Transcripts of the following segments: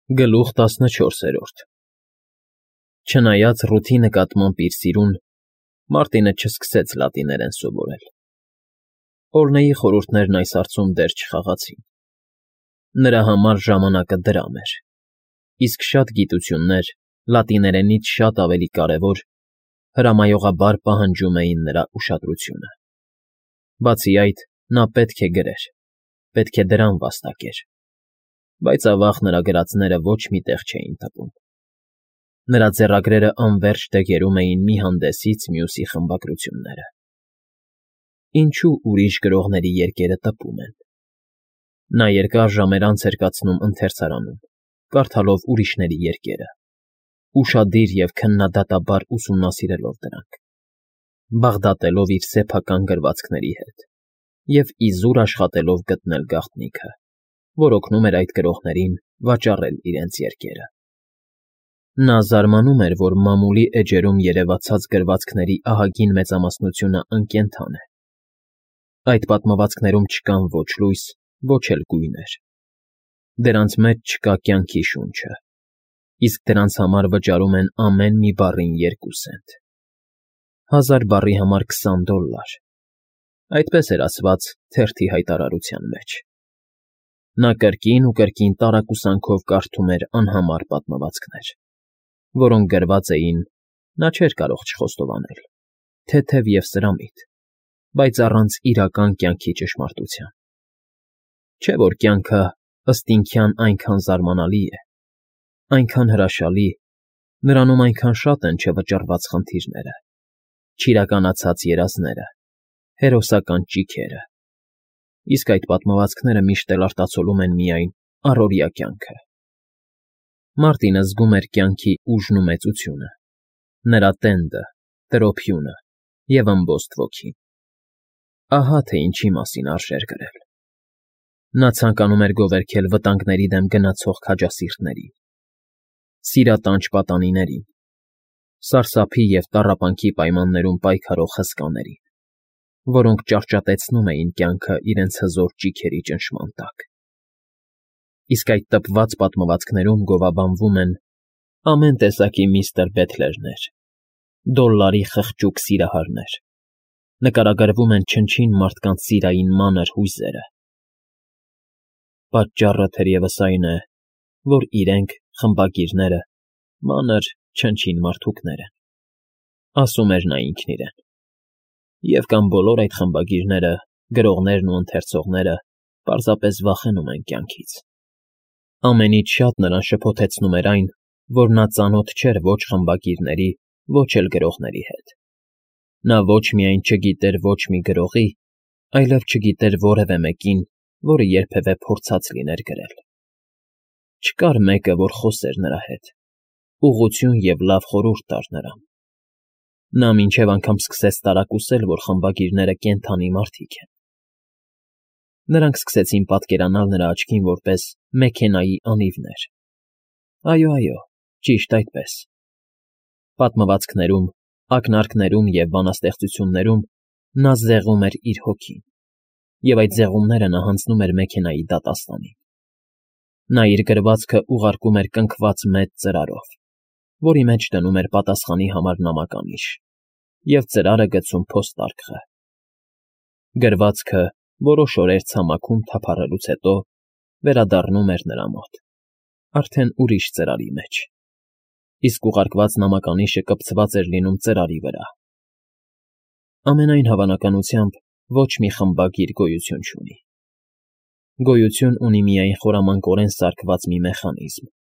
Գլուխ 14 Չնայած Ռութի նկատմամբ իր սիրուն, Մարտինը չսկսեց լատիներեն սովորել։ Օրնեի խորհուրդներն այս հարցում դեռ չխաղացին։ Նրա համար ժամանակը դրամ էր, իսկ շատ գիտություններ, լատիներենից շատ ավելի կարևոր, հրամայողաբար պահանջում էին նրա ուշադրությունը։ Բացի այդ, նա պետք է գրեր, պետք է դրան վաստակեր, բայց ավաղ նրա գրածները ոչ մի տեղ չէին թվում։ Նրա ձեռագրերը անվերջ դեգերում էին մի հանդեսից մյուսի խմբագրությունները։ Ինչու ուրիշ գրողների երկերը տպում են։ Նա երկար ժամեր անց էր կացնում ընթերցարանում, կարդալով ուրիշների երկերը, ուշադիր և քննադատաբար ուսումնասիրելով դրանք, բաղդատելով իր սեփական գրվածքների հետ և իզուր աշխատելով գտնել գաղտնիքը, որ օգնում էր այդ գրողներին վաճառել իրենց երկերը։ Նա զարմանում էր, որ մամուլի էջերում երևացած գրվածքների ահագին մեծամասնությունը անկենդան է։ Այդ պատմվածքներում չկան ոչ լույս, ոչ էլ գույներ։ Դրանց մեջ չկա կյանքի շունչը, իսկ դրանց համար վճարում են ամեն մի բառին 2 սենտ։ 1000 բառի համար $20։ Այդպես էր ասված թերթի հայտարարության մեջ։ Նա կրկին ու կրկին տարակուսանքով կարդում էր անհամար պատմվածքներ, որոնք գրված էին, նա չէր կարող չխոստովանել, թեթև և սրամիտ, բայց առանց իրական կյանքի ճշմարտության։ Չէ՞ որ կյանքը ըստ ինքյան այնքան զարմանալի է, այնքան հրաշալի, նրանում այնքան շատ են չվճռված խնդիրները, չիրականացած երազները, հերոսական ճիգերը, իսկ այդ պատմվածքները միշտ էլ արտացոլում են միայն առօրյա կյանքը։ Մարտինը զգում էր կյանքի ուժն ու մեծությունը, նրա տենդը, տրոփյունը և ըմբոստ ոգին։ Ահա թե ինչի մասին արժեր գրել։ Նա ցանկանում էր գովերգել վտանգների դեմ գնացող քաջասիրտներին, սիրատանչ պատանիներին, սարսափի և տառապանքի պայմաններում պայքարող հսկաներին, որոնք ճարճատեցնում էին կյանքը իրենց հզոր ճիգերի ճնշման տակ։ Իսկ այդ տպված պատմվածքներում գովաբանվում են ամեն տեսակի միստր Բեթլերներ, դոլլարի խղճուկ սիրահարներ, նկարագրվում են չնչին մարդկանց սիրային մանր հույզերը։ Պատճառը թերևս այն է, որ իրենք, խմբագիրները, մանր, չնչին մարդուկներ են, ասում էր նա ինքն իրեն։ Եվ կամ բոլոր այդ խմբագիրները, գրողներն ու ընթերցողները պարզապես վախենում են կյանքից։ Ամենից շատ նրան շփոթեցնում էր այն, որ նա ծանոթ չէր ոչ խմբագիրների, ոչ էլ գրողների հետ։ Նա ոչ միայն չգիտեր ոչ մի գրողի, այլև չգիտեր որևէ մեկին, որը երբևէ փորձած լիներ գրել։ Չկար մեկը, որ խոսեր նրա հետ, ուղղություն և լավ խորհուրդ տար նրան։ Նա մինչև անգամ սկսեց տարակուսել, որ խմբագիրները կենդանի մարդիկ են։ Նրանք սկսեցին պատկերանալ նրա աչքին որպես մեքենայի անիվներ։ Այո, ճիշտ այդպես։ Պատմվածքներում, ակնարկներում և բանաստեղծություններում նա զեղում էր իր հոգին, և այդ զեղումները նա հանձնում էր մեքենայի դատաստանին։ Նա իր գրվածքը ուղարկում էր կնքված մեծ ծրարով, որի մեջ դնում էր պատասխանի համար նամականիշ և ծրարը գցում փոստարկղը։ Գրվածքը որոշ օրեր ցամաքում թափառելուց հետո վերադառնում էր նրա մոտ, արդեն ուրիշ ծրարի մեջ, իսկ ուղարկված նամականիշը կպցված էր լինում ծրարի վրա։ Ամենայն հավանականությամբ ոչ մի խմբագիր գոյություն չունի։ Գոյություն ունի միայն խորամանկորեն սարքված մի մեխանիզմ,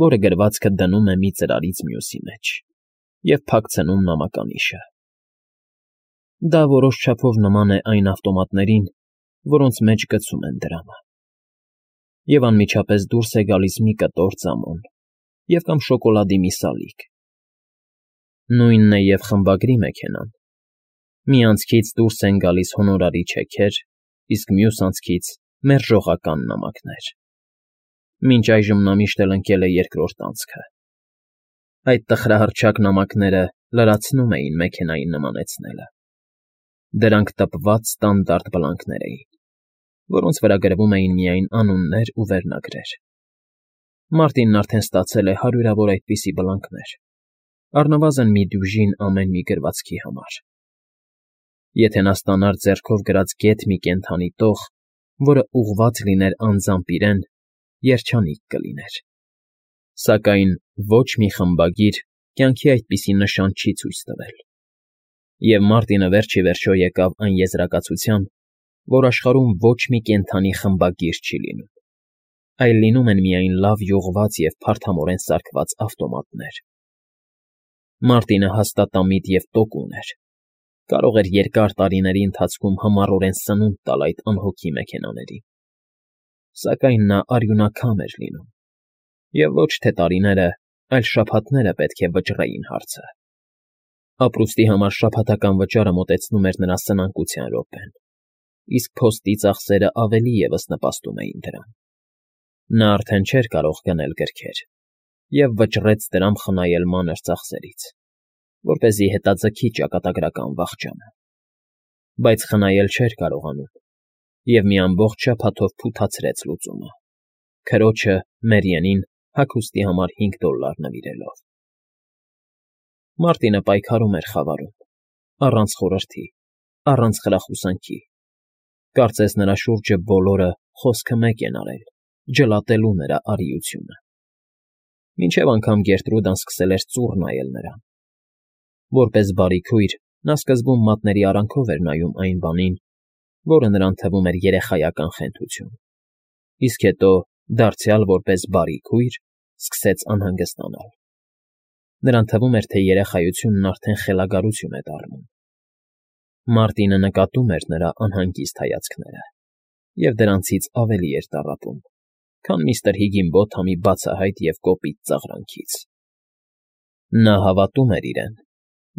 որը գրվածքը դնում է մի ծրարից մյուսի մեջ և փակցնում նամականիշը։ Դա որոշ չափով նման է այն ավտոմատներին, որոնց մեջ գցում են դրամը։ Եվ անմիջապես դուրս է գալիս մի կտոր ծամոն և կամ շոկոլադի մի սալիկ։ Նույնն է և խմբագրի մեքենան։ Մի անցքից դուրս են գալիս հոնորարի չեքեր, իսկ մյուս անցքից մերժողական նամակներ։ Մինչ այժմ նա միշտ էլ ընկել է երկրորդ անցքը։ Այդ տխրահռչակ նամակները լրացնում էին մեքենայի նմանեցնելը։ Դրանք տպված ստանդարտ բլանկներ էին, որոնց վրա գրվում էին միայն անուններ ու վերնագրեր։ Մարտինն արդեն ստացել է հարյուրավոր այդպիսի բլանքներ, առնվազն մի դյուժին ամեն մի գրվածքի համար։ Եթե նա ստանար ձեռքով գրած գեթ մի կենդանի տող, որը ուղղված լիներ անձամբ իրեն, երջանիկ կլիներ։ Սակայն ոչ մի խմբագիր կյանքի այդպիսի նշան չի ցույց տվել։ Եվ Մարտինը վերջ ի վերջո եկավ այն եզրակացության, որ աշխարհում ոչ մի կենդանի խմբագիր չի լինում, այլ լինում են միայն լավ յուղված և փարթամորեն սարքված ավտոմատներ։ Մարտինը հաստատամիտ և տոկուն էր, կարող էր երկար տարիների ընթացքում համառորեն սնունդ տալ այդ անհոգի մեքենաներին։ Սակայն նա արյունակամ էր լինում, և ոչ թե տարիները, այլ շաբաթները պետք է վճռեին հարցը։ Ապրուստի համար շաբաթական վճարը մոտեցնում էր նրա սնանկության րոպեն, իսկ փոստի ծախսերը ավելի ևս նպաստում էին դրան։ Նա արդեն չէր կարող գնել գրքեր և վճռեց դրամ խնայել մանր ծախսերից, որպեսզի հետաձգի ճակատագրական վախճանը։ Բայց խնայել չէր կարողանում և մի ամբողջ շաբաթով փութացրեց լուծումը, քրոջը՝ Մերիենին հագուստի համար $5 նվիրելով։ Մարտինը պայքարում էր խավարում, առանց խորհրդի, առանց խրախուսանքի։ Կարծես նրա շուրջը բոլորը խոսքը մեկ են արել, ջլատելու նրա արիությունը։ Մինչև անգամ Գերտրուդան սկսել էր ծուռ նայել նրան։ Որպես բարի քույր, նա սկզբում մատների արանքով էր նայում այն բանին, որը նրան թվում էր երեխայական խենթություն, իսկ հետո, դարձյալ որպես բարի քույր, սկսեց անհանգստանալ։ Նրան թվում էր, թե երեխայությունն արդեն խելագարություն է դառնում։ Մարտինը նկատում էր նրա անհանգիստ հայացքները և դրանցից ավելի էր տառապում, քան միստր Հիգինբոթամի բացահայտ և կոպիտ ծաղրանքից։ Նա հավատում էր իրեն,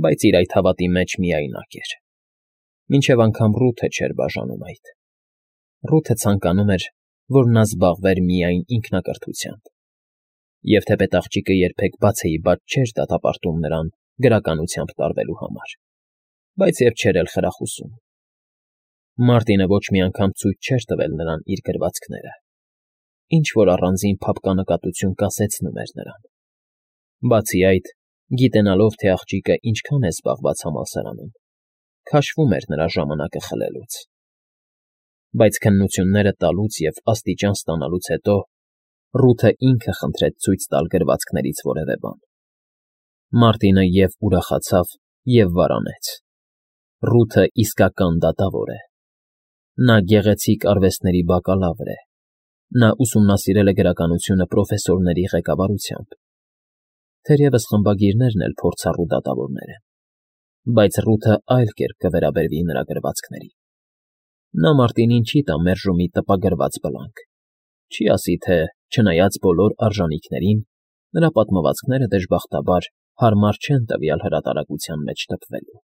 բայց իր այդ հավատի մեջ միայնակ էր։ Մինչև անգամ Ռութը չէր բաժանում այդ։ Ռութը ցանկանում էր, որ նա զբաղվեր միայն ինքնակրթությամբ, և թեպետ աղջիկը երբեք բացեիբաց չէր դատապարտում նրան գրականությամբ տարվելու համար, բայց և չէր էլ խրախուսում։ Մարտինը ոչ մի անգամ ցույց չէր տվել նրան իր գրվածքները, ինչ֊որ առանձին փափկանկատություն կասեցնում էր նրան։ Բացի այդ, գիտենալով, թե աղջիկը ինչքան է զբաղված համալսարանում, քաշվում էր նրա ժամանակը խլելուց։ Բայց քննությունները տալուց և աստիճան ստանալուց հետո Ռութը ինքը խնդրեց ցույց տալ գրվածքներից որևէ բան։ Մարտինը և ուրախացավ, և վարանեց։ Ռութը իսկական դատավոր է։ Նա գեղեցիկ արվեստների բակալավր է։ Նա ուսումնասիրել է գրականությունը պրոֆեսորների ղեկավարությամբ։ Թերևս խմբագիրներն էլ փորձառու դատավորներ են, բայց Ռութը այլ կերպ կվերաբերվի նրա գրվածքներին։ Նա Մարտինին չի տա մերժումի տպագրված բլանք, չի ասի, թե, չնայած բոլոր արժանիքներին, նրա պատմվածքները, դժբախտաբար, հարմար չեն տվյալ հրատարակության մեջ տպվելու։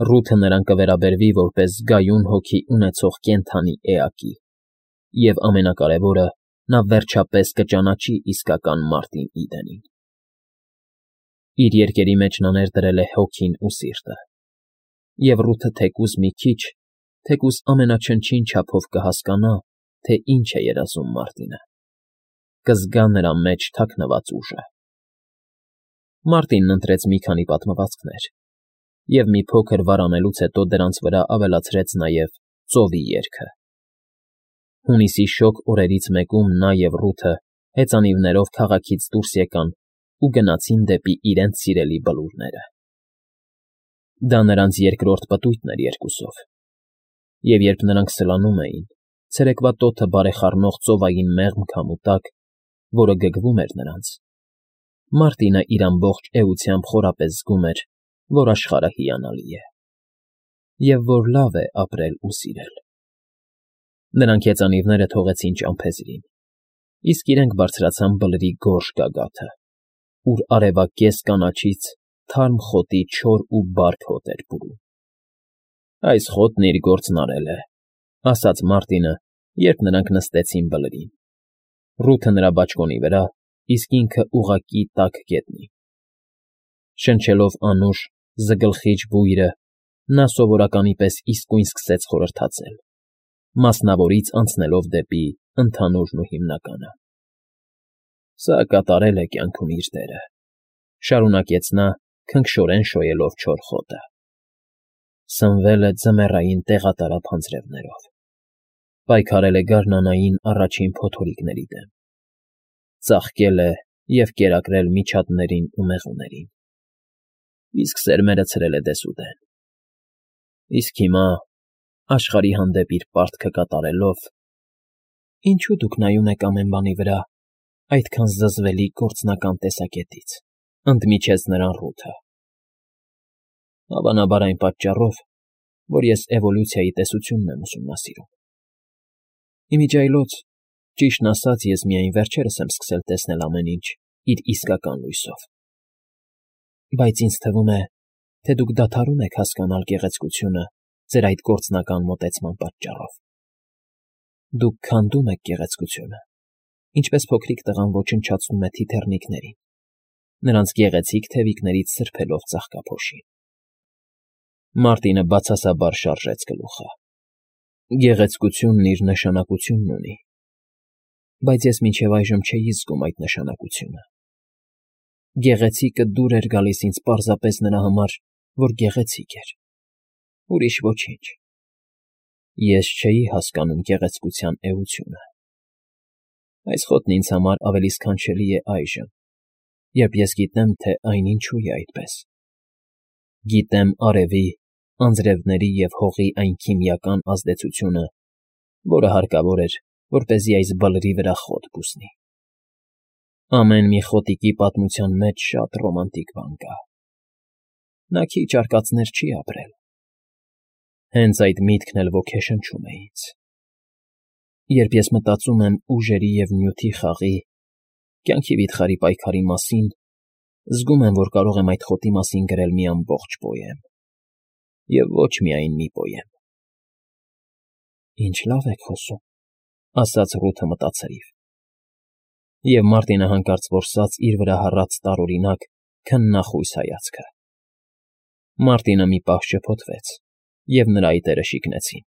Ռութը նրան կվերաբերվի որպես զգայուն հոգի ունեցող կենդանի էակի, և ամենակարևորը, նա վերջապես կճանաչի իսկական Մարտին Իդենին։ Իր երկերի մեջ նա ներդրել է հոգին ու սիրտը, և Ռութը թեկուզ մի քիչ, թեկուզ ամենաչնչին չափով կհասկանա, թե ինչ է երազում Մարտինը, կզգա նրա մեջ թաքնված ուժը։ Մարտինն ընտրեց մի քանի պատմվածքներ և մի փոքր վարանելուց հետո դրանց վրա ավելացրեց նաև ծովի երգը։ Հունիսի շոգ օրերից մեկում նա և Ռութը հեծանիվներով քաղաքից դուրս եկան ու գնացին դեպի իրենց սիրելի բլուրները։ Դա նրանց երկրորդ պտույտն էր երկուսով, և երբ նրանք սլանում էին, ցերեկվա տոթը բարեխառնող ծովային մեղմ քամու տակ, որը գգվում էր նրանց, Մարտինը իր ամբողջ էությամբ խորապես զգում էր, որ աշխարհը հիանալի է, և որ լավ է ապրել ու սիրել։ Նրանք հեծանիվները թողեցին ճամփեզրին, իսկ իրենք բարձրացան բլրի գորշ գագաթը, ուր արևակեզ կանաչից թարմ խոտի չոր ու բարդ հոտ էր բուրում։ «Այս խոտն իր գործն արել է», ֊ ասաց Մարտինը, երբ նրանք նստեցին բլրին։ Ռութը նրա բաճկոնի վրա, իսկ ինքը ուղղակի տաք գետնին։ Շնչելով անուշ, զգլխիչ բույրը, նա սովորականի պես իսկույն սկսեց խորհրդածել, մասնավորից անցնելով դեպի ընդհանուրն ու հիմնականը։ Սա կատարել է կյանքում իր դերը, շարունակեց նա, քնքշորեն շոյելով չոր խոտը։ Սնվել է ձմեռային տեղատարափ անձրևներով, պայքարել է գարնանային առաջին փոթորիկների դեմ, ծաղկել է և կերակրել միջատներին ու մեղուներին, իսկ սերմերը ցրել է դեսուդեն։ Իսկ հիմա, աշխարհի հանդեպ իր պարտքը կատարելով, ինչո՞ւ դուք նայում եք ամեն բանի վրա այդքան զզվելի գործնական տեսակետից, ընդմիջեց նրան Ռութը։ Հավանաբար այն պատճառով, որ ես էվոլյուցիայի տեսությունն եմ ուսումնասիրում։ Իմիջիայլոց, ճիշտն ասած, ես միայն վերջերս եմ սկսել տեսնել ամեն ինչ իր իսկական լույսով։ Բայց ինձ թվում է, թե դուք դադարում եք հասկանալ գեղեցկությունը ձեր այդ գործնական մոտեցման պատճառով։ Դուք քանդում եք գեղեցկությունը, ինչպես փոքրիկ տղան ոչնչացնում է թիթեռնիկներին, նրանց գեղեցիկ թևիկներից սրբելով ծաղկափոշին։ Մարտինը բացասաբար շարժեց գլուխը։ Գեղեցկությունն իր նշանակությունն ունի, բայց ես մինչև այժմ չէի զգում այդ նշանակությունը։ Գեղեցիկը դուր էր գալիս ինձ պարզապես նրա համար, որ գեղեցիկ էր, ուրիշ ոչինչ։ Ես չէի հասկանում գեղեցկության էությունը։ Այս խոտն ինձ համար ավելի սքանչելի է այժմ, երբ ես գիտեմ, թե այն ինչու է այդպես։ Գիտեմ արևի, անձրևների և հողի այն քիմիական ազդեցությունը, որը հարկավոր էր, որպեսզի այս բլրի վրա խոտ բուսնի։ Ամեն մի խոտիկի պատմության մեջ շատ ռոմանտիկ բան կա։ Նա քիչ արկածներ չի ապրել։ Հենց այդ միտքն էլ ոգեշնչում է ինձ։ Երբ ես մտածում եմ ուժերի և նյութի խաղի, կյանքի վիթխարի պայքարի մասին, զգում եմ, որ կարող եմ այդ խոտի մասին գրել մի ամբողջ պոեմ։ Եվ ոչ միայն մի պոեմ։ Ինչ լավ եք խոսում, ասաց Ռութը մտածելիվ։ Եվ Մարտինը հանկարծ որսաց իր վրա հառած տարօրինակ, քննախույս հայացքը։ Մարտինը մի պահ շփոթվեց, և նրա այտերը շիկնեցին։